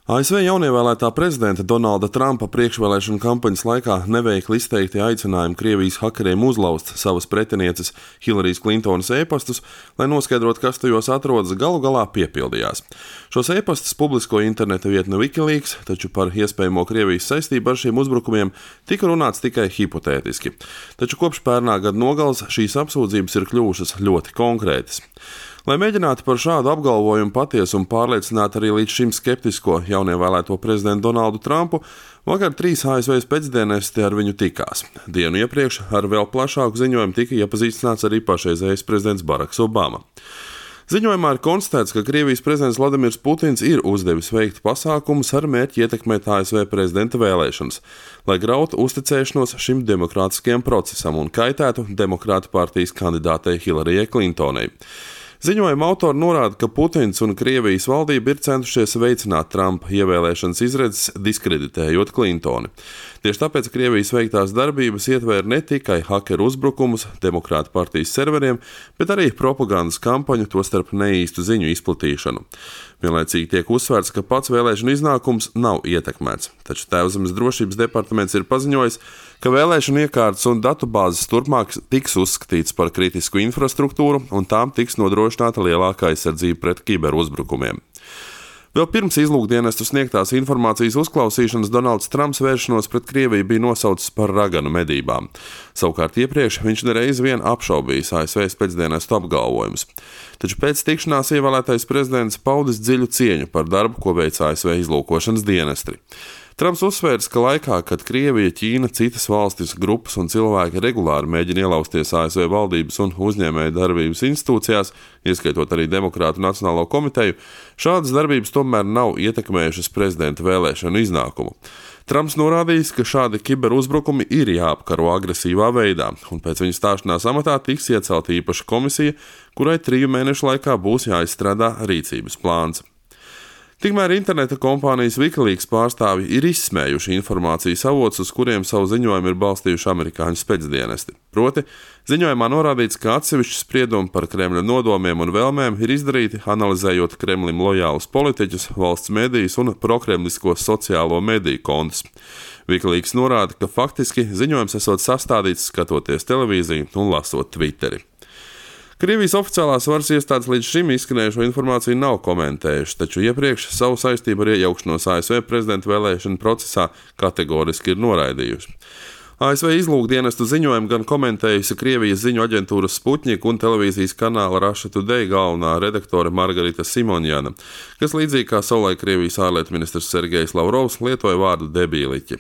ASV jaunievēlētā prezidenta Donalda Trumpa priekšvēlēšanu kampaņas laikā neveikli izteikti aicinājumi Krievijas hakeriem uzlauzt savas pretinieces Hillarijas Klintonas e-pastus, lai noskaidrotu, kas tajos atrodas, galu galā piepildījās. Šos e-pastus publiskoja interneta vietne Wikileaks, taču par iespējamo Krievijas saistību ar šiem uzbrukumiem tika runāts tikai hipotētiski. Taču kopš pērnā gada nogales šīs apsūdzības ir kļuvušas ļoti konkrētas. Lai mēģinātu par šādu apgalvojumu patiesumu pārliecināt arī līdz šim skeptisko jaunievēlēto prezidentu Donaldu Trumpu, vakar 3 ASV pēcdienesti ar viņu tikās. Dienu iepriekš ar vēl plašāku ziņojumu tika iepazīstināts arī pašreizējais prezidents Baraks Obama. Ziņojumā ir konstatēts, ka Krievijas prezidents Vladimirs Putins ir uzdevis veikt pasākumus ar mērķi ietekmēt ASV prezidenta vēlēšanas, lai grautu uzticēšanos šim demokrātiskajam procesam un kaitētu demokrātu partijas kandidātei Hillarijai Klintonai. Ziņojuma autori norāda, ka Putins un Krievijas valdība ir centušies veicināt Trumpa ievēlēšanas izredzes, diskreditējot Klintoni. Tieši tāpēc Krievijas veiktās darbības ietvēra ne tikai hakeru uzbrukumus demokrātu partijas serveriem, bet arī propagandas kampaņu, tostarp neīstu ziņu izplatīšanu. Vienlaicīgi tiek uzsvērts, ka pats vēlēšanu iznākums nav ietekmēts, taču Tēvzemes drošības departaments ir paziņojis, ka vēlēšanu iekārtas un datubāzes turpmāk tiks uzskatīts par kritisku infrastruktūru un tām tiks nodrošināta lielākā aizsardzība pret kiberuzbrukumiem. Vēl pirms izlūkdienestu sniegtās informācijas uzklausīšanas Donalds Trumps vēršanos pret Krieviju bija nosaucis par raganu medībām. Savukārt iepriekš viņš nereiz vien apšaubījis ASV pēcdienestu apgalvojumus. Taču pēc tikšanās ievēlētais prezidents paudis dziļu cieņu par darbu, ko veic ASV izlūkošanas dienesti. Trumps uzsvērs, ka laikā, kad Krievija, Ķīna, citas valstis, grupas un cilvēki regulāri mēģina ielausties ASV valdības un uzņēmēju darbības institūcijās, ieskaitot arī Demokrātu Nacionālo komiteju, šādas darbības tomēr nav ietekmējušas prezidenta vēlēšanu iznākumu. Trumps norādījis, ka šādi kiberuzbrukumi ir jāapkaro agresīvā veidā, un pēc viņa stāšanās amatā tiks iecelta īpaša komisija, kurai 3 mēnešu laikā būs jāizstrādā rīcības plāns. Tikmēr interneta kompānijas Wikileaks pārstāvji ir izsmējuši informācijas avotus, uz kuriem savu ziņojumu ir balstījuši amerikāņu spēcdienesti. Proti, ziņojumā norādīts, ka atsevišķi spriedumi par Kremļa nodomiem un vēlmēm ir izdarīti, analizējot Kremlim lojālus politiķus, valsts medijus un prokremlisko sociālo mediju kontus. Wikileaks norāda, ka faktiski ziņojums esot sastādīts skatoties televīziju un lasot Twitteri. Krievijas oficiālās varas iestādes līdz šim izskanējušo informāciju nav komentējuši, taču iepriekš savu saistību ar iejaukšanos ASV prezidenta vēlēšanu procesā kategoriski ir noraidījuši. ASV izlūkdienestu ziņojumu gan komentējusi Krievijas ziņu aģentūras Sputnik un televīzijas kanāla Russia Today galvenā redaktore Margarita Simonjana, kas līdzīgi kā savulaik Krievijas ārlietu ministrs Sergejs Lavrovs lietoja vārdu debīliķi.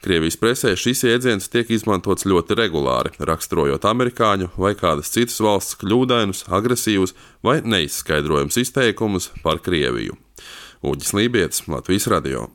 Krievijas presē šis jēdziens tiek izmantots ļoti regulāri, raksturojot amerikāņu vai kādas citas valsts kļūdainus, agresīvus vai neizskaidrojumus izteikumus par Krieviju. Uģis Lībietis, Latvijas radio.